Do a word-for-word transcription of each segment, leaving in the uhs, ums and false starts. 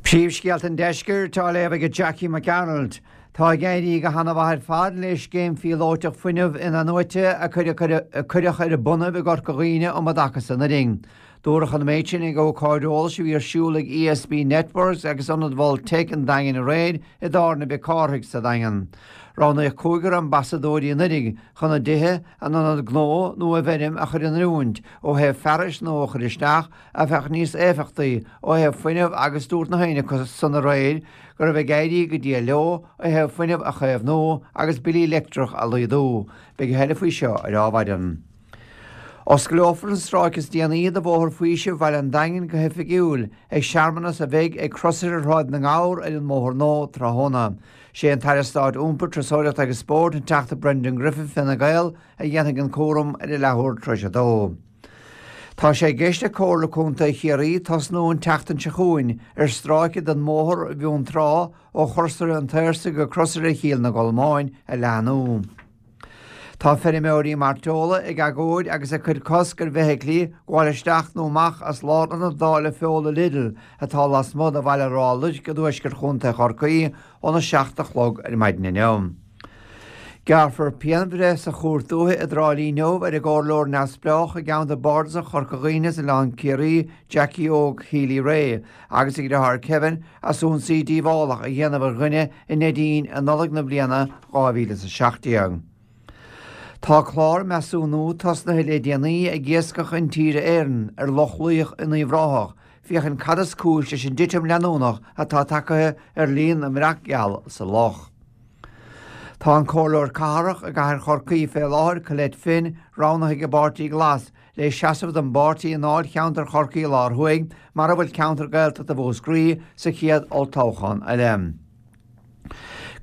Príomhscéalta an deiscirt á léamh ag Jackie McDonald. Tá ag éirí go han-mhaith ar fad le scéim phíolótach fuinnimh in-athnuaite a cuireadh ar bun i gCorca Dhuibhne um an dtaca so anuraidh. Dúradh an méid sin ag ócáid eolais a bhí ar siúl ag ESB Networks agus Ionad Mhol Tech an Daingin aréir i dTábhairne Mhic Cárthaigh sa Daingean. Roghnaíodh cúigear ambasadóirí anuraidh chun a dtithe, a n-ionad gnó nó a bhfeirm a chur in oiriúint ó thaobh fearais nua a chur isteach a bheadh níos éifeachtaí ó thaobh fuinnimh agus dúirt na haon acu san aréir go raibh ag éirí go diail leo ó thaobh fuinneamh a chaomhnú agus billí leictreach a laghdú, beidh a thuilleadh faoi seo ar Adhmhaidin. Osclófar an stráice is déanaí de Bhóthar Faoisimh Bhaile an Daingin go hoifigiúil ag searmanas a bheidh ag Crosaire Shráid na nGabhar ar an mBóthar Nua tráthnóna. Sé an tAire Stáit Iompair, Turasóireachta agus Spóirt an Teachta Brendan Griffin Fine Gael a dhéanfaidh an cúram ar a leathuair tar éis a dó. Tá sé i gceist ag Comhairle Contae Chiarraí tosnú an tseachtain seo chugainn ar stráice den mBóthar Bheanntrá ó Chrosaire an tSaorsaigh go Crosaire Chill na gColmáin a leathnú. Tá feirmeoirí mairteola ag agóid agus ag cur cosc ar bhfeithiclí gabháil isteach nó amach as lárionad dáileadh feola Lidl atá lasmuigh de Bhaile Ráth Luirc i dtuaisceart Chontae Chorcaí óna seacht a chlog ar maidin inniu. Gearrfar pianbhreith sa chúirt dúiche i dTrá Lí inniu ar an gcomhairleoir neamhspleách i gceantar bardasach Chorca Dhuibhne is Oileán Ciarraí, Jackie Óg Healy Rae, agus a dheartháir Kevin as ionsaí díobhálach a dhéanamh ar dhuine i Neidín i Nollaig na bliana dhá mhíle is a seacht déag. Tá clár measúnú tosnaithe le déanaí ag Iascach Intíre Éireann ar Loch Luíoch in Uíbh Ráthach, féachaint cad is cúis leis an dtitim leanúnach atá tagtha ar líon na mbreac geal sa loch. Tá an comhairleoir cathrach i gcathair Chorcaí fé láthair, Colette Finn, roghnaithe ag an bPáirtí Glas le seasamh don bpáirtí i ndáilcheantar Chorcaí Lár Thuaidh, mar a bhfuil ceantar Gaeltachta Mhúscraí, sa chéad olltoghchán eile.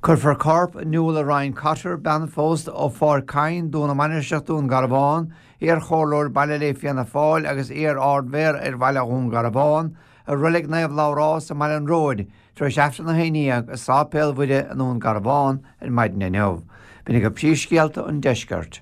Cuirfear corp Nuala Ryan Cotter, bean phósta ó Pháirc Cain, Dún na Mainistreach, Dún Garbhán, iar-chomhairleoir baile le Fianna Fáil agus iar-ardmhéara ar Bhaile Dhún Garbhán, i Reilig Naomh Labhrás i mBaile an Róid, tar éis Aifreann a haon déag i Sáipéal Mhuire i nDún Garbhán ar maidin inniu. B'in iad príomhscéalta an deiscirt.